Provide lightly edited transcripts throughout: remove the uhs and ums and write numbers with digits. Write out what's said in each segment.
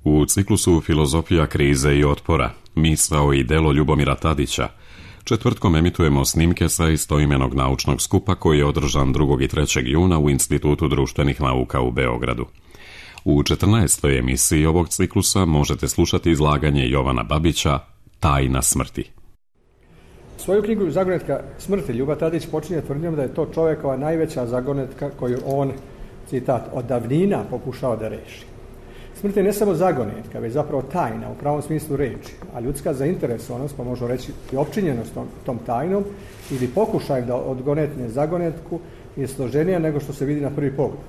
U ciklusu Filozofija krize i otpora, misao i delo Ljubomira Tadića, četvrtkom emitujemo snimke sa istoimenog naučnog skupa koji je održan 2. i 3. juna u Institutu društvenih nauka u Beogradu. U 14. emisiji ovog ciklusa možete slušati izlaganje Jovana Babića Tajna smrti. Svoju knjigu Zagonetka smrti Ljuba Tadić počinje tvrdnjom da je to čovjekova najveća zagonetka koju on, citat, od davnina pokušao da reši. Smrt je ne samo zagonetka, već zapravo tajna u pravom smislu reči, a ljudska zainteresovanost, pa možemo reći i opčinjenost tom tajnom ili pokušaj da odgonetne zagonetku je složenija nego što se vidi na prvi pogled.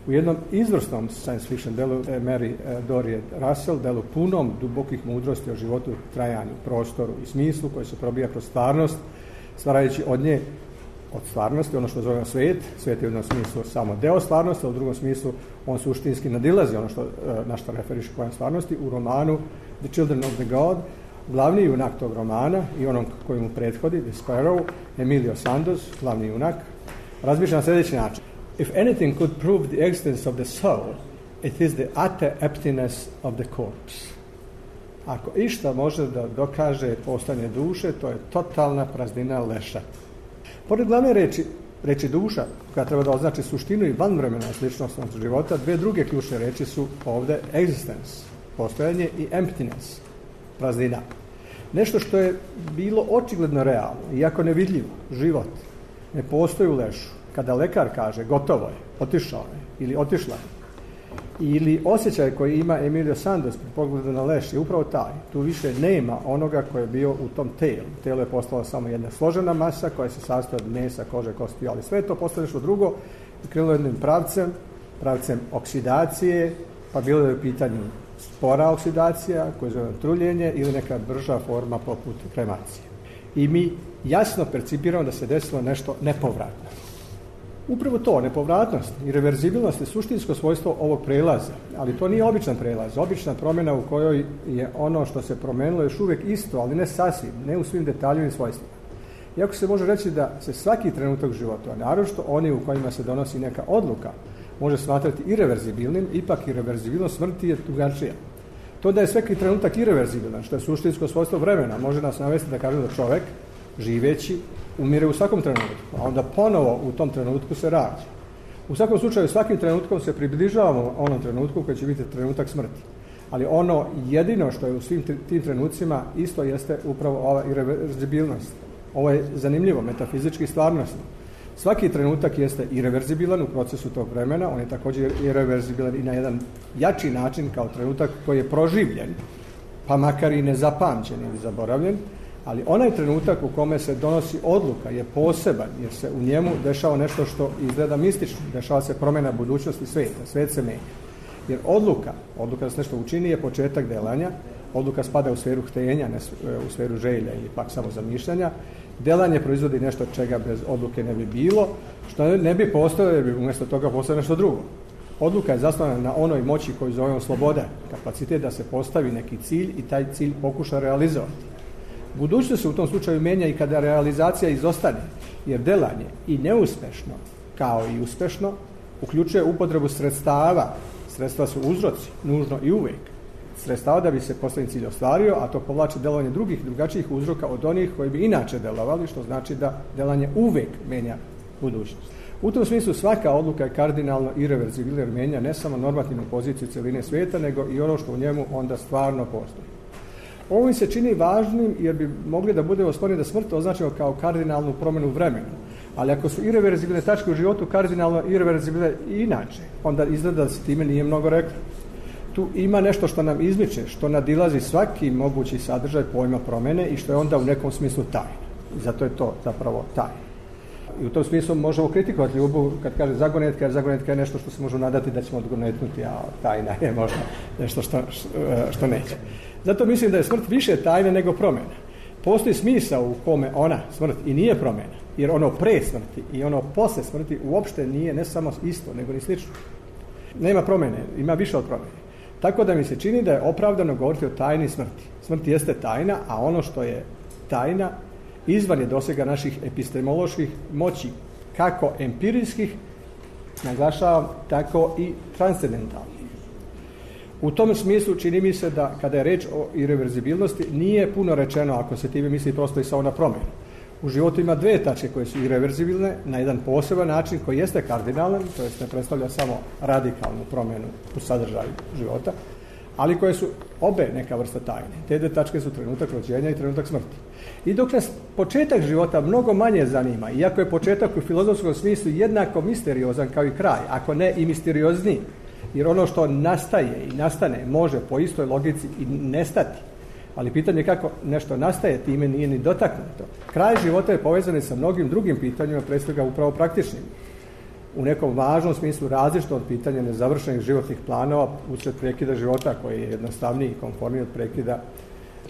U jednom izvrsnom science fiction delu Mary Dorie Russell, delu punom dubokih mudrosti o životu, trajanju, prostoru i smislu koji se probija kroz stvarnost, stvarajući od nje, od stvarnosti, ono što zovemo svijet. Svijet je u jednom smislu samo deo stvarnosti, a u drugom smislu on suštinski nadilazi ono na što referiše pojam stvarnosti. U romanu The Children of the God, glavni junak tog romana i onom koji mu prethodi, The Sparrow, Emilio Santos, glavni junak, razmišlja na sljedeći način. If anything could prove the existence of the soul, it is the utter emptiness of the corpse. Ako išta može da dokaže postojanje duše, to je totalna praznina leša. Pored glavne reči duša, koja treba da označi suštinu i vanvremena sličnost života, dve druge ključne reči su ovde existence, postojanje, i emptiness, praznina. Nešto što je bilo očigledno realno, iako nevidljivo, život, ne postoji u lešu. Kada lekar kaže gotovo je, otišao je ili otišla je, ili osjećaj koji ima Emilio Santos pri pogledu na leš je upravo taj. Tu više nema onoga koji je bio u tom telu. Telo je postalo samo jedna složena masa koja se sastoji od mesa, kože, kosti, ali sve to postoje nešto drugo i krenulo jednim pravcem oksidacije, pa bilo je u pitanju spora oksidacija, koja zove truljenje, ili neka brža forma poput kremacije. I mi jasno percipiramo da se desilo nešto nepovratno. Upravo to, nepovratnost i reverzibilnost je suštinsko svojstvo ovog prelaza, ali to nije običan prelaz, obična promjena u kojoj je ono što se promenilo još uvijek isto, ali ne sasvim, ne u svim detaljima i svojstvima. Iako se može reći da se svaki trenutak života, a naročito oni u kojima se donosi neka odluka, može smatrati ireverzibilnim, ipak ireverzibilnost smrti je drugačija. To da je svaki trenutak ireverzibilan, što je suštinsko svojstvo vremena, može nas navesti da kažemo da čovjek, živeći, umire u svakom trenutku, a onda ponovo u tom trenutku se rađa. U svakom slučaju, svakim trenutkom se približavamo onom trenutku koji će biti trenutak smrti. Ali ono jedino što je u svim tim trenucima isto jeste upravo ova ireverzibilnost. Ovo je zanimljivo, metafizički stvarnostno. Svaki trenutak jeste ireverzibilan u procesu tog vremena, on je također ireverzibilan i na jedan jači način kao trenutak koji je proživljen, pa makar i nezapamćen ili zaboravljen. Ali onaj trenutak u kome se donosi odluka je poseban, jer se u njemu dešava nešto što izgleda mistično, dešava se promjena budućnosti svijeta, svijet se menja. Jer odluka da se nešto učini je početak delanja, odluka spada u sferu htenja, ne u sferu želja ili pak samo zamišljanja. Delanje proizvodi nešto čega bez odluke ne bi bilo, što ne bi postojalo jer bi umjesto toga postojalo nešto drugo. Odluka je zasnovana na onoj moći koju zovemo sloboda, kapacitet da se postavi neki cilj i taj cilj pokuša realizovati. Budućnost se u tom slučaju mijenja i kada realizacija izostane, jer delanje i neuspešno, kao i uspešno, uključuje upotrebu sredstava. Sredstva su uzroci, nužno i uvijek. Sredstava da bi se postavljen cilj ostvario, a to povlači delovanje drugih, drugačijih uzroka od onih koji bi inače delovali, što znači da delanje uvijek mijenja budućnost. U tom smislu svaka odluka je kardinalno ireverzibilna jer mijenja ne samo normativnu poziciju cjeline svijeta, nego i ono što u njemu onda stvarno postoji. Ovo mi se čini važnim jer bi mogli da budemo skloni da smrt označimo kao kardinalnu promjenu vremena. Ali ako su ireverzibilne tačke u životu kardinalno ireverzibilne i inače, onda izgleda da se time nije mnogo reklo. Tu ima nešto što nam izmiče, što nadilazi svaki mogući sadržaj pojma promjene i što je onda u nekom smislu tajna. I zato je to zapravo tajna. I u tom smislu možemo kritikovati Ljubu kad kaže zagonetka, jer zagonetka je nešto što se može nadati da ćemo odgonetnuti, a tajna je možda nešto što neće. Zato mislim da je smrt više tajna nego promjena. Postoji smisao u kome ona, smrt, i nije promjena, jer ono pre smrti i ono posle smrti uopšte nije ne samo isto, nego ni slično. Nema promjene, ima više od promjene. Tako da mi se čini da je opravdano govoriti o tajni smrti. Smrt jeste tajna, a ono što je tajna izvan je dosega naših epistemoloških moći, kako empirijskih, naglašavam, tako i transcendentalnih. U tom smislu čini mi se da kada je reč o irreverzibilnosti nije puno rečeno ako se time misli prosto i samo na promjenu. U životu ima dvije tačke koje su irreverzibilne na jedan poseban način koji jeste kardinalan, to jest ne predstavlja samo radikalnu promjenu u sadržaju života, ali koje su obe neka vrsta tajne. Te dvije tačke su trenutak rođenja i trenutak smrti. I dok nas početak života mnogo manje zanima, iako je početak u filozofskom smislu jednako misteriozan kao i kraj, ako ne i misteriozniji, jer ono što nastaje i nastane može po istoj logici i nestati. Ali pitanje kako nešto nastaje time nije ni dotaknuto. Kraj života je povezan sa mnogim drugim pitanjima, prije svega upravo praktičnim. U nekom važnom smislu različito od pitanja nezavršenih životnih planova usred prekida života koji je jednostavniji i konformniji od prekida.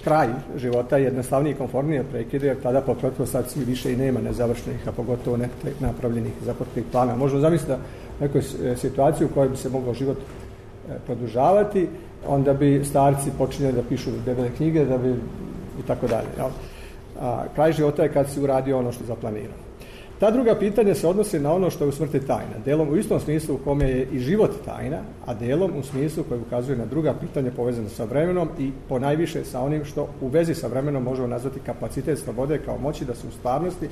Kraj života je jednostavniji i konformniji od prekida jer tada po pretpostavci više i nema nezavršenih, a pogotovo ne napravljenih započetih plana. Možemo zamisliti da nekoj situaciji u kojoj bi se mogao život produžavati, onda bi starci počinjeli da pišu debele knjige da bi i tako dalje. Kraj života je kad si uradio ono što je zaplanirano. Ta druga pitanja se odnose na ono što je u smrti tajna. Delom u istom smislu u kome je i život tajna, a delom u smislu koji ukazuje na druga pitanja povezana sa vremenom i ponajviše sa onim što u vezi sa vremenom možemo nazvati kapacitet slobode kao moći da se u stvarnosti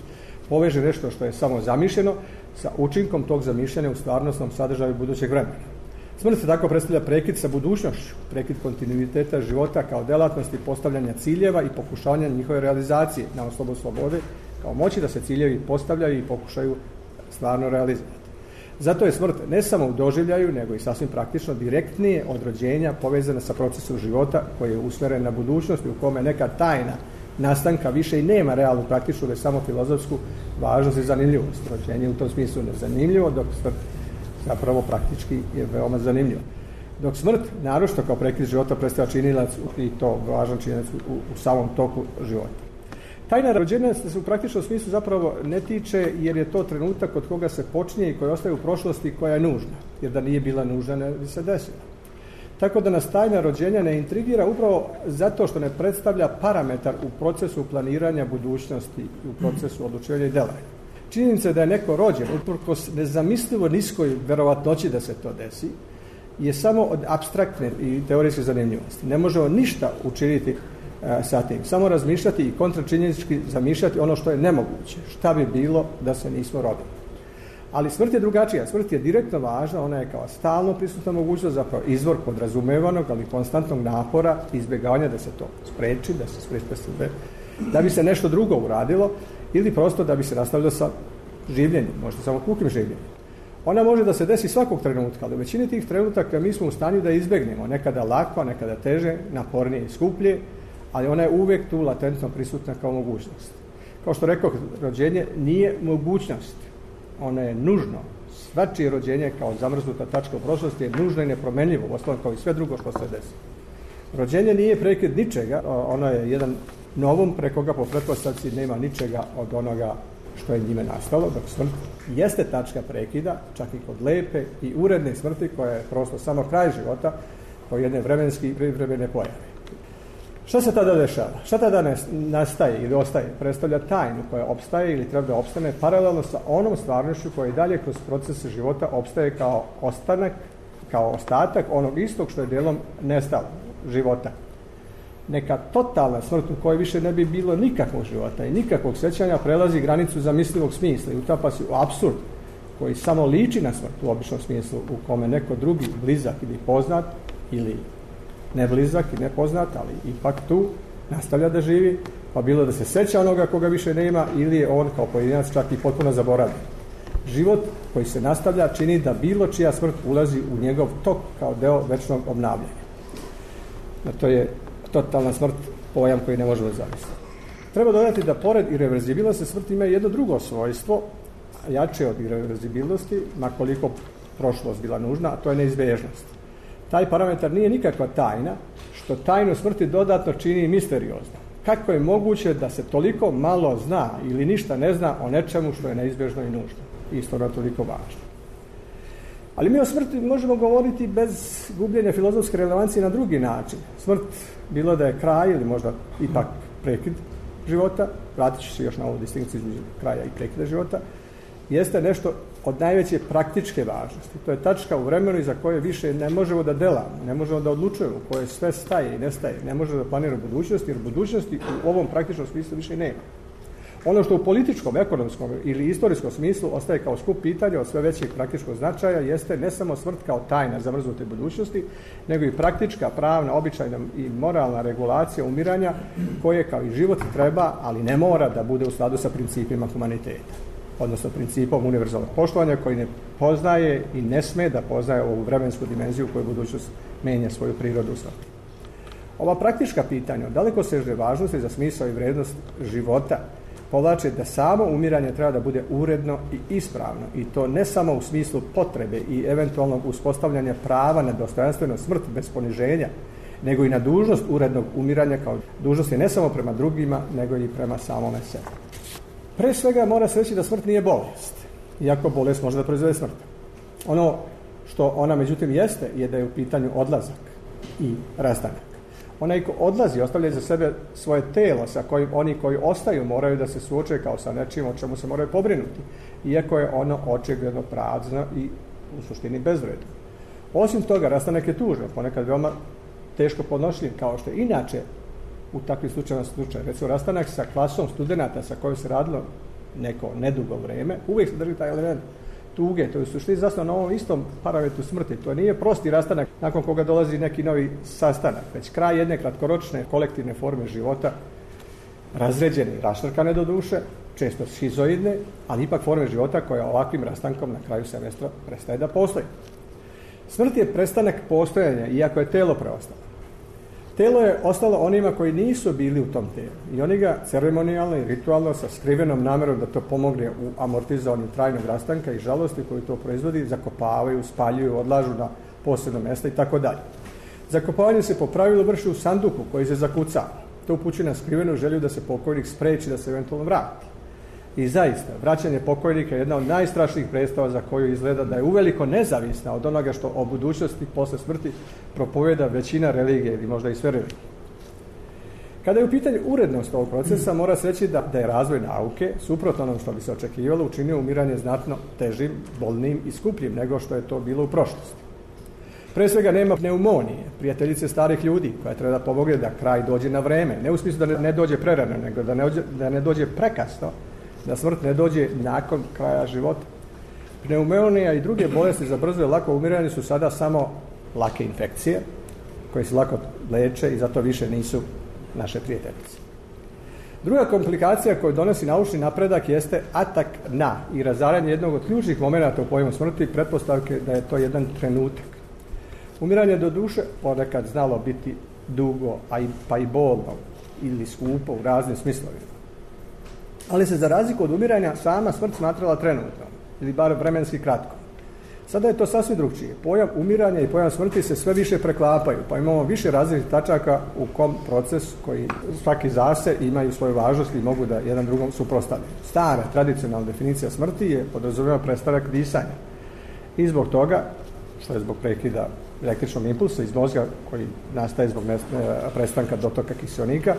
poveže nešto što je samo zamišljeno sa učinkom tog zamišljanja u stvarnostnom sadržaju budućeg vremena. Smrt se tako predstavlja prekid sa budućnošću, prekid kontinuiteta života kao delatnosti postavljanja ciljeva i pokušavanja njihove realizacije na osnovu slobode kao moći da se ciljevi postavljaju i pokušaju stvarno realizovati. Zato je smrt ne samo u doživljaju, nego i sasvim praktično direktnije od rođenja povezana sa procesom života koji je usmjeren na budućnost i u kome neka tajna nastanka više i nema realnu praktičnu, već samo filozofsku važnost i zanimljivost. Rođenje u tom smislu nezanimljivo, dok smrt zapravo praktički je veoma zanimljivo. Dok smrt, naročito kao prekid života, predstavlja činilac i to važan činilac u samom toku života. Tajna rođenja se u praktičnom smislu zapravo ne tiče jer je to trenutak od koga se počinje i koji ostaje u prošlosti koja je nužna, jer da nije bila nužna ne bi se desila. Tako da nas tajna rođenja ne intrigira upravo zato što ne predstavlja parametar u procesu planiranja budućnosti i u procesu odlučivanja i delovanja. Činjenica je da je neko rođen uprkos nezamislivo niskoj verovatnoći da se to desi je samo od apstraktne i teorijske zanimljivosti. Ne možemo ništa učiniti sa tim. Samo razmišljati i kontračinjenički zamišljati ono što je nemoguće. Šta bi bilo da se nismo rodili. Ali smrt je drugačija. Smrt je direktno važna, ona je kao stalno prisutna mogućnost, zapravo izvor podrazumevanog, ali konstantnog napora i izbjegavanja da se to spreči, da se spreči da bi se nešto drugo uradilo ili prosto da bi se nastavilo sa življenjem, možda samo pukim življenjem. Ona može da se desi svakog trenutka, ali u većini tih trenutaka mi smo u stanju da izbjegnemo, nekada lako, nekada teže, napornije i skuplje, ali ona je uvijek tu latentno prisutna kao mogućnost. Kao što rekao, rođenje nije mogućnost, ono je nužno. Svačije rođenje kao zamrznuta tačka u prošlosti je nužno i nepromenljivo, uostalom kao i sve drugo što se desi. Rođenje nije prekid ničega, ono je jedan novom preko koga po pretpostavci nema ničega od onoga što je njime nastalo, dok smrt jeste tačka prekida, čak i kod lepe i uredne smrti koja je prosto samo kraj života kao jedne vremenski i privremene pojave. Šta se tada dešava? Šta tada nastaje ili ostaje? Predstavlja tajnu koja opstaje ili treba da opstane paralelno sa onom stvarnošću koja i dalje kroz proces života opstaje kao ostanak, kao ostatak onog istog što je dijelom nestalo života. Neka totalna smrt u kojoj više ne bi bilo nikakvog života i nikakvog sjećanja prelazi granicu zamislivog smisla i utapa se u apsurd koji samo liči na smrt u običnom smislu u kome neko drugi blizak ili poznat ili ne blizak i nepoznat, ali ipak tu nastavlja da živi, pa bilo da se sjeća onoga koga više nema ili je on kao pojedinac čak i potpuno zaboravljen. Život koji se nastavlja čini da bilo čija smrt ulazi u njegov tok kao deo večnog obnavljanja. To je totalna smrt, pojam koji ne možemo zamisliti. Treba dodati da pored irreverzibilnosti smrt ima jedno drugo svojstvo, jače od irreverzibilnosti, makoliko prošlost bila nužna, a to je neizbježnost. Taj parametar nije nikakva tajna, što tajnu smrti dodatno čini misteriozno. Kako je moguće da se toliko malo zna ili ništa ne zna o nečemu što je neizbježno i nužno? Isto da toliko važno. Ali mi o smrti možemo govoriti bez gubljenja filozofske relevancije na drugi način. Smrt, bilo da je kraj ili možda ipak prekid života, vratit ću se još na ovu distinkciju između kraja i prekida života, jeste nešto od najveće praktičke važnosti. To je tačka u vremenu iza koje više ne možemo da delamo, ne možemo da odlučujemo, koje sve staje i nestaje, ne možemo da planiramo budućnosti, jer budućnosti u ovom praktičnom smislu više nema. Ono što u političkom, ekonomskom ili istorijskom smislu ostaje kao skup pitanja od sve većeg praktičkog značaja jeste ne samo smrt kao tajna zamrznute budućnosti, nego i praktička, pravna, običajna i moralna regulacija umiranja koje kao i život treba, ali ne mora da bude u skladu sa principima humaniteta, odnosno principom univerzalnog poštovanja koji ne poznaje i ne sme da poznaje ovu vremensku dimenziju koju budućnost menja svoju prirodu. Ova praktička pitanja od dalekosežne važnosti za smisao i vrednost života povlače da samo umiranje treba da bude uredno i ispravno, i to ne samo u smislu potrebe i eventualnog uspostavljanja prava na dostojanstvenu smrt bez poniženja, nego i na dužnost urednog umiranja kao dužnosti ne samo prema drugima, nego i prema samome sebi. Pre svega mora se reći da smrt nije bolest, iako bolest može da proizvede smrt. Ono što ona međutim jeste je da je u pitanju odlazak i rastanak. Onaj ko odlazi ostavlja za sebe svoje telo sa kojim oni koji ostaju moraju da se suoče kao sa nečim o čemu se moraju pobrinuti, iako je ono očigledno prazno i u suštini bezvredno. Osim toga, rastanak je tužan, ponekad veoma teško podnošljiv, kao što je inače u takvim slučajima slučaj. Recimo, rastanak sa klasom studenata sa kojom se radilo neko nedugo vreme, uvijek se drži taj element tuge, to je u suštini zasnovano na ovom istom parametru smrti. To nije prosti rastanak nakon koga dolazi neki novi sastanak, već kraj jedne kratkoročne kolektivne forme života, razređene i raštrkane do duše, često šizoidne, ali ipak forme života koja ovakvim rastankom na kraju semestra prestaje da postoji. Smrt je prestanak postojanja, iako je telo preostalo. Telo je ostalo onima koji nisu bili u tom telu i oni ga ceremonijalno i ritualno sa skrivenom namerom da to pomogne u amortizovanju trajnog rastanka i žalosti koju to proizvodi, zakopavaju, spaljuju, odlažu na posebno mjesto i tako dalje. Zakopavanje se po pravilu vrši u sanduku koji se zakuca. To upućuje na skrivenu želju da se pokojnik spreči da se eventualno vrati. I zaista, vraćanje pokojnika je jedna od najstrašnijih predstava za koju izgleda da je uveliko nezavisna od onoga što o budućnosti posle smrti propoveda većina religije ili možda i sve religije. Kada je u pitanju urednost ovog procesa, mora se reći da je razvoj nauke, suprotno onom što bi se očekivalo, učinio umiranje znatno težim, bolnim i skupljim nego što je to bilo u prošlosti. Pre svega nema pneumonije, prijateljice starih ljudi, koja treba da pomogne da kraj dođe na vreme, ne u smislu da ne dođe prerano, nego da ne dođe prekasno, da smrt ne dođe nakon kraja života. Pneumonija i druge bolesti za brzo i lako umiranje su sada samo lake infekcije, koje se lako leče i zato više nisu naše prijateljice. Druga komplikacija koju donosi naučni napredak jeste atak na i razaranje jednog od ključnih momenata u pojmu smrti, pretpostavke da je to jedan trenutak. Umiranje do duše ponekad znalo biti dugo, pa i bolno ili skupo u raznim smislovima. Ali se za razliku od umiranja sama smrt smatrala trenutno, ili bar vremenski kratko. Sada je to sasvim drugčije. Pojam umiranja i pojam smrti se sve više preklapaju, pa imamo više različitih tačaka u kom proces koji svaki zase imaju svoju važnost i mogu da jedan drugom suprotstavljaju. Stara, tradicionalna definicija smrti je podrazumijeva prestanak disanja. I zbog toga, što je zbog prekida električnog impulsa iz mozga koji nastaje zbog prestanka dotoka kiseonika,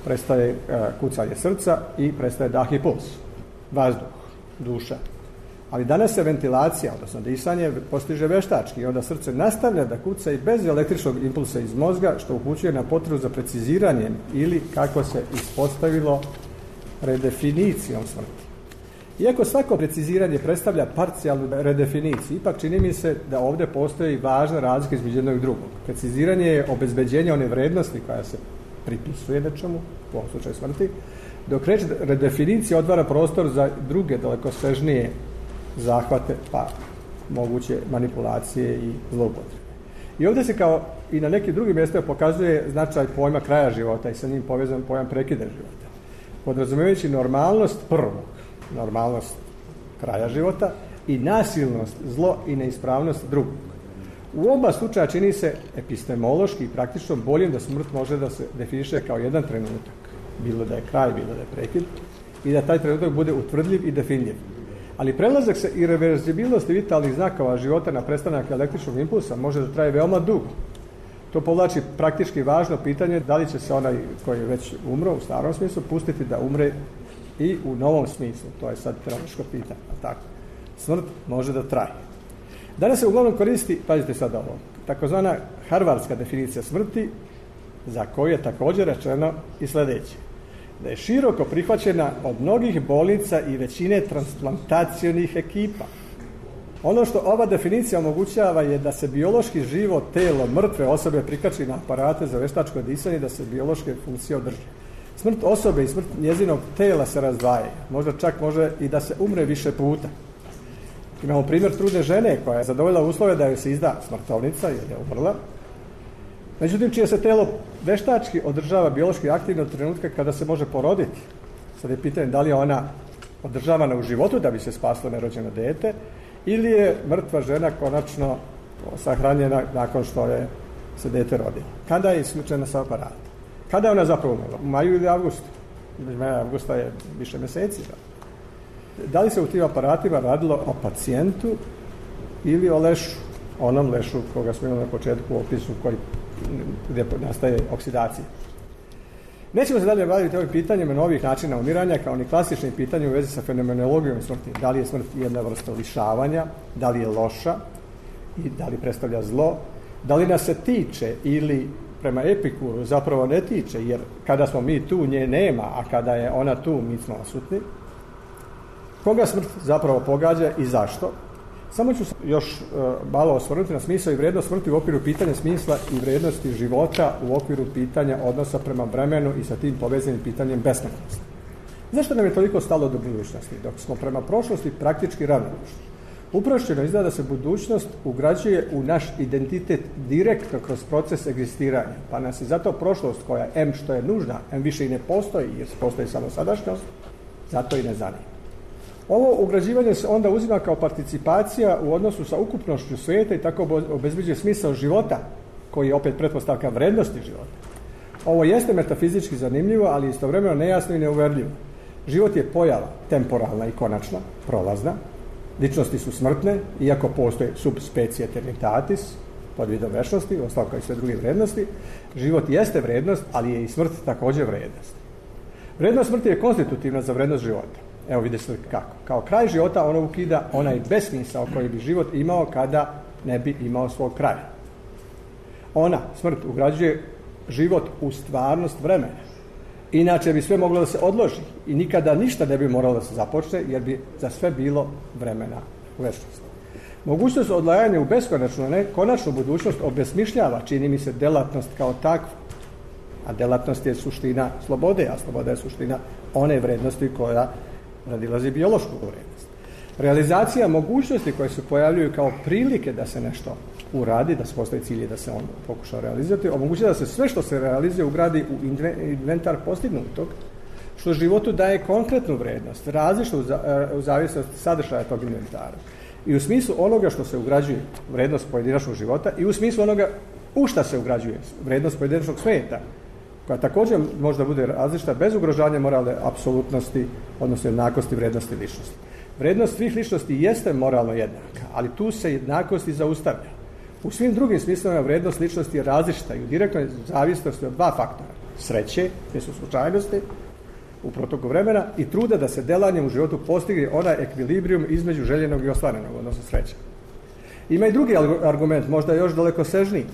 prestaje kucanje srca i prestaje dah i puls, vazduh, duša. Ali danas se ventilacija, odnosno disanje, postiže veštački i onda srce nastavlja da kuca i bez električnog impulsa iz mozga, što upućuje na potrebu za preciziranjem ili, kako se ispostavilo, redefinicijom smrti. Iako svako preciziranje predstavlja parcijalnu redefiniciju, ipak čini mi se da ovdje postoji važna razlika između jednog i drugog. Preciziranje je obezbeđenje one vrednosti koja se pripisuje nečemu, u ovom slučaju smrti, dok reč redefinicija otvara prostor za druge dalekosežnije zahvate, pa moguće manipulacije i zloupotrebe. I ovdje se kao i na nekim drugim mjestima pokazuje značaj pojma kraja života i sa njim povezan pojam prekida života. Podrazumijevajući normalnost prvog, normalnost kraja života i nasilnost, zlo i neispravnost drugog. U oba slučaja čini se epistemološki i praktično boljim da smrt može da se definiše kao jedan trenutak, bilo da je kraj, bilo da je prekid, i da taj trenutak bude utvrdljiv i definljiv. Ali prelazak sa irreverzibilnosti vitalnih znakova života na prestanak električnog impulsa može da traje veoma dugo. To povlači praktički važno pitanje da li će se onaj koji je već umro u starom smislu pustiti da umre i u novom smislu. To je sad teološko pitanje. Tako. smrt može da traje. Danas se uglavnom koristi, pazite sad ovo, takozvana harvardska definicija smrti, za koju je također rečeno i sljedeće. Da je široko prihvaćena od mnogih bolnica i većine transplantacionih ekipa. Ono što ova definicija omogućava je da se biološki živo telo mrtve osobe prikači na aparate za veštačko disanje i da se biološke funkcije održe. Smrt osobe i smrt njezinog tela se razdvajaju. Možda čak može i da se umre više puta. Imamo primjer trudne žene koja je zadovoljila uslove da joj se izda smrtovnica jer je umrla. Međutim, čije se telo veštački održava biološki aktivno od trenutka kada se može poroditi. Sad je pitanje da li je ona održavana u životu da bi se spaslo nerođeno dete ili je mrtva žena konačno sahranjena nakon što je se dete rodilo. Kada je isključena sa aparata? Kada je ona zapravo umrla? U maju ili avgustu? Maja avgusta je više mjeseci. Da li se u tim aparatima radilo o pacijentu ili o lešu? Onom lešu koga smo imali na početku u opisu gdje nastaje oksidacija. Nećemo se dalje baviti ovim pitanjima novih načina umiranja kao ni klasičnim pitanjima u vezi sa fenomenologijom smrti. Da li je smrt jedna vrsta lišavanja, da li je loša i da li predstavlja zlo, da li nas se tiče ili prema Epikuru zapravo ne tiče, jer kada smo mi tu nje nema, a kada je ona tu mi smo odsutni. Koga smrt zapravo pogađa i zašto? Samo ću još malo osvrnuti na smisao i vrijednost smrti u okviru pitanja smisla i vrijednosti života u okviru pitanja odnosa prema vremenu i sa tim povezanim pitanjem besmrtnosti. Zašto nam je toliko stalo do budućnosti, dok smo prema prošlosti praktički ravnodušni? Uprošćeno izgleda da se budućnost ugrađuje u naš identitet direktno kroz proces egzistiranja, pa nas je zato prošlost koja M što je nužna, M više i ne postoji jer postoji samo sadašnjost, zato i ne zanima. Ovo ugrađivanje se onda uzima kao participacija u odnosu sa ukupnošću svijeta i tako obezbeđuje smisao života, koji je opet pretpostavka vrednosti života. Ovo jeste metafizički zanimljivo, ali istovremeno nejasno i neuverljivo. Život je pojava, temporalna i konačna, prolazna. Ličnosti su smrtne, iako postoje subspecie eternitatis, pod vidom večnosti, ostalo kao i sve druge vrednosti. Život jeste vrednost, ali je i smrt također vrednost. Vrednost smrti je konstitutivna za vrednost života. Evo vidite kako. Kao kraj života ono ukida onaj besmisao koji bi život imao kada ne bi imao svog kraja. Ona, smrt, ugrađuje život u stvarnost vremena. Inače bi sve moglo da se odloži i nikada ništa ne bi moralo da se započne jer bi za sve bilo vremena u večnosti. Mogućnost odlajanja u beskonačnu, ne konačnu budućnost obesmišljava, čini mi se, delatnost kao takva. A delatnost je suština slobode, a sloboda je suština one vrednosti koja nadilazi biološku vrednost. Realizacija mogućnosti koje se pojavljuju kao prilike da se nešto uradi, da se postoji cilj i da se on pokuša realizirati, omogućuje da se sve što se realizuje ugradi u inventar postignutog, što životu daje konkretnu vrednost, različnu u zavisnosti sadržaja tog inventara. I u smislu onoga što se ugrađuje vrednost pojedinačnog života i u smislu onoga u šta se ugrađuje vrednost pojedinačnog svijeta, koja također možda bude različita bez ugrožavanja moralne apsolutnosti, odnosno jednakosti vrijednosti ličnosti. Vrednost svih ličnosti jeste moralno jednaka, ali tu se jednakost i zaustavlja. U svim drugim smislovima vrednost ličnosti je različita i u direktnoj zavisnosti od dva faktora. Sreće, te su slučajnosti u protoku vremena, i truda da se delanjem u životu postigne onaj ekvilibrijum između željenog i ostvarenog, odnosno sreće. Ima i drugi argument, možda još dalekosežniji.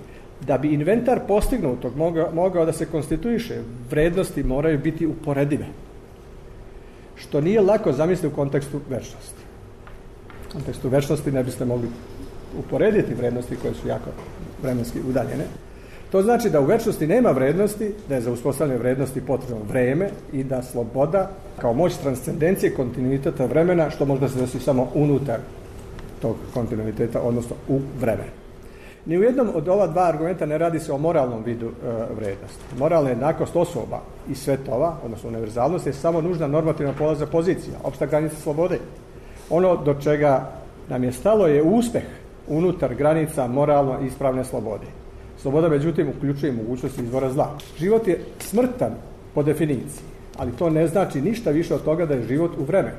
Da bi inventar postignutog mogao da se konstituiše, vrednosti moraju biti uporedive. Što nije lako zamisliti u kontekstu večnosti. U kontekstu večnosti ne biste mogli uporediti vrednosti koje su jako vremenski udaljene. To znači da u večnosti nema vrednosti, da je za uspostavljanje vrednosti potrebno vreme i da sloboda kao moć transcendencije kontinuiteta vremena, što možda se desi samo unutar tog kontinuiteta, odnosno u vremenu. Ni u jednom od ova dva argumenta ne radi se o moralnom vidu vrednosti. Moralna jednakost osoba i svetova, odnosno univerzalnost, je samo nužna normativna polazna pozicija, opšta granica slobode. Ono do čega nam je stalo je uspeh unutar granica moralno ispravne slobode. Sloboda, međutim, uključuje mogućnost izvora zla. Život je smrtan po definiciji, ali to ne znači ništa više od toga da je život u vremenu.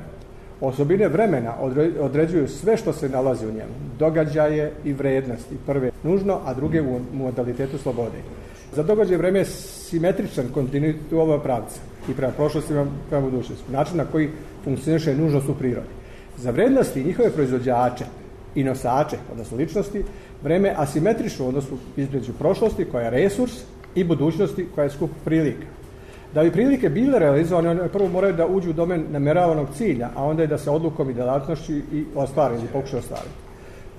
Osobine vremena određuju sve što se nalazi u njemu. Događaje i vrednosti. Prve nužno, a druge u modalitetu slobode. Za događaj vreme je simetričan kontinuitet u oba pravca. I prema prošlosti i prema budućnosti. Način na koji funkcioniše nužnost u prirodi. Za vrijednosti i njihove proizvođače i nosače, odnosno ličnosti, vreme je asimetrično u odnosu između prošlosti koja je resurs i budućnosti koja je skup prilika. Da bi prilike bile realizovane, one prvo moraju da uđu u domen nameravanog cilja, a onda je da se odlukom i djelatnošću i ostvari ili pokuša ostvariti.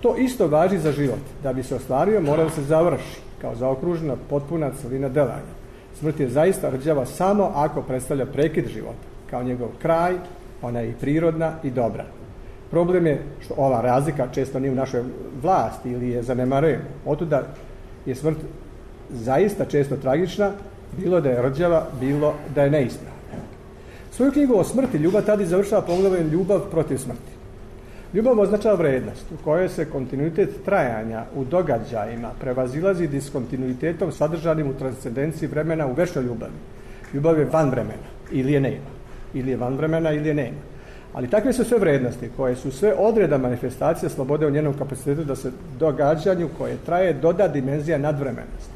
To isto važi za život. Da bi se ostvario, mora da se završi kao zaokružena potpuna celina delanja. Smrt je zaista rđava samo ako predstavlja prekid života, kao njegov kraj, ona je i prirodna i dobra. Problem je što ova razlika često nije u našoj vlasti ili je zanemarujemo. Otuda je smrt zaista često tragična, bilo da je rđava, bilo da je neispravna. Svoju knjigu o smrti Ljuba Tadić završava poglavljem Ljubav protiv smrti. Ljubav označava vrednost u kojoj se kontinuitet trajanja u događajima prevazilazi diskontinuitetom sadržanim u transcendenciji vremena u večnoj ljubavi. Ljubav je van vremena ili je nema. Ili je van vremena ili je nema. Ali takve su sve vrednosti koje su sve odreda manifestacija slobode u njenom kapacitetu da se događanju koje traje doda dimenzija nadvremenosti.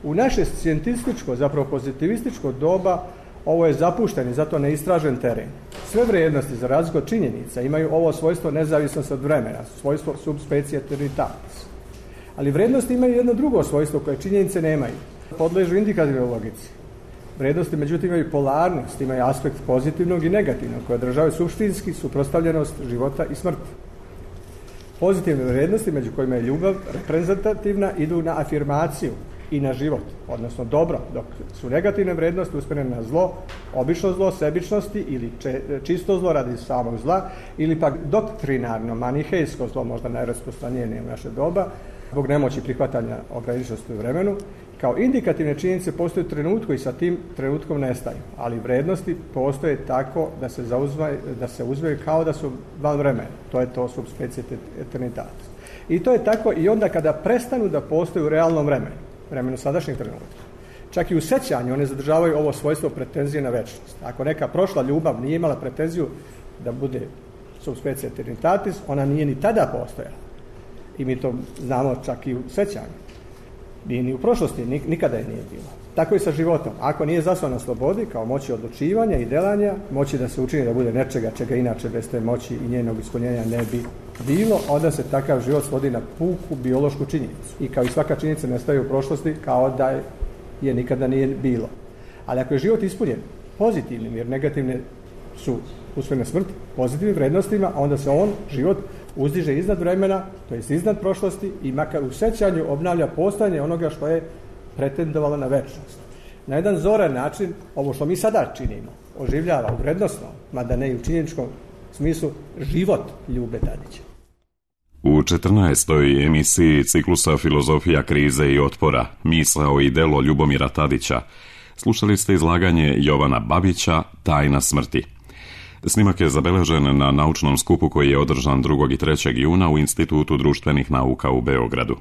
U naše scientističko, zapravo pozitivističko doba ovo je zapušten i zato neistražen teren. Sve vrijednosti za razliku od činjenica imaju ovo svojstvo nezavisnost od vremena, svojstvo subspecie eternitatis. Ali vrijednosti imaju jedno drugo svojstvo koje činjenice nemaju. Podležu indikativnoj logici. Vrijednosti međutim imaju polarnost, imaju aspekt pozitivnog i negativnog koje održavaju suštinski suprotstavljenost života i smrti. Pozitivne vrijednosti među kojima je ljubav reprezentativna idu na afirmaciju i na život, odnosno dobro, dok su negativne vrijednosti usmjerene na zlo, obično zlo, sebičnosti ili čisto zlo radi samog zla, ili pak doktrinarno, manihejsko zlo, možda najrasprostranjenije u naše doba, zbog nemoći prihvatanja ograničenosti u vremenu. Kao indikativne činjenice postoje u trenutku i sa tim trenutkom nestaju, ali vrijednosti postoje tako da se uzmeju kao da su van vremena. To je to subspecie eternitatis. I to je tako i onda kada prestanu da postoje u realnom vremenu sadašnjeg trenutka. Čak i u sećanju one zadržavaju ovo svojstvo pretenzije na večnost. Ako neka prošla ljubav nije imala pretenziju da bude subspecie eternitatis, ona nije ni tada postojala. I mi to znamo čak i u sećanju. Nije ni u prošlosti, nikada je nije bilo. Tako i sa životom. Ako nije zasnovan na slobodi, kao moći odlučivanja i delanja, moći da se učini da bude nečega čega inače bez te moći i njenog ispunjenja ne bi bilo, onda se takav život svodi na puku biološku činjenicu. I kao i svaka činjenica nestaje u prošlosti kao da je nikada nije bilo. Ali ako je život ispunjen pozitivnim, jer negativne su usvojene smrt, pozitivnim vrednostima, onda se on, život, uzdiže iznad vremena, to jest iznad prošlosti i makar u sećanju obnavlja postojanje onoga što je pretendovalo na večnost. Na jedan zoran način, ovo što mi sada činimo, oživljava u vrednostnom, mada ne i u činjeničkom smislu, život Ljube Tadića. U 14. emisiji ciklusa Filozofija krize i otpora, misao i delo Ljubomira Tadića, slušali ste izlaganje Jovana Babića Tajna smrti. Snimak je zabeležen na naučnom skupu koji je održan 2. i 3. juna u Institutu društvenih nauka u Beogradu.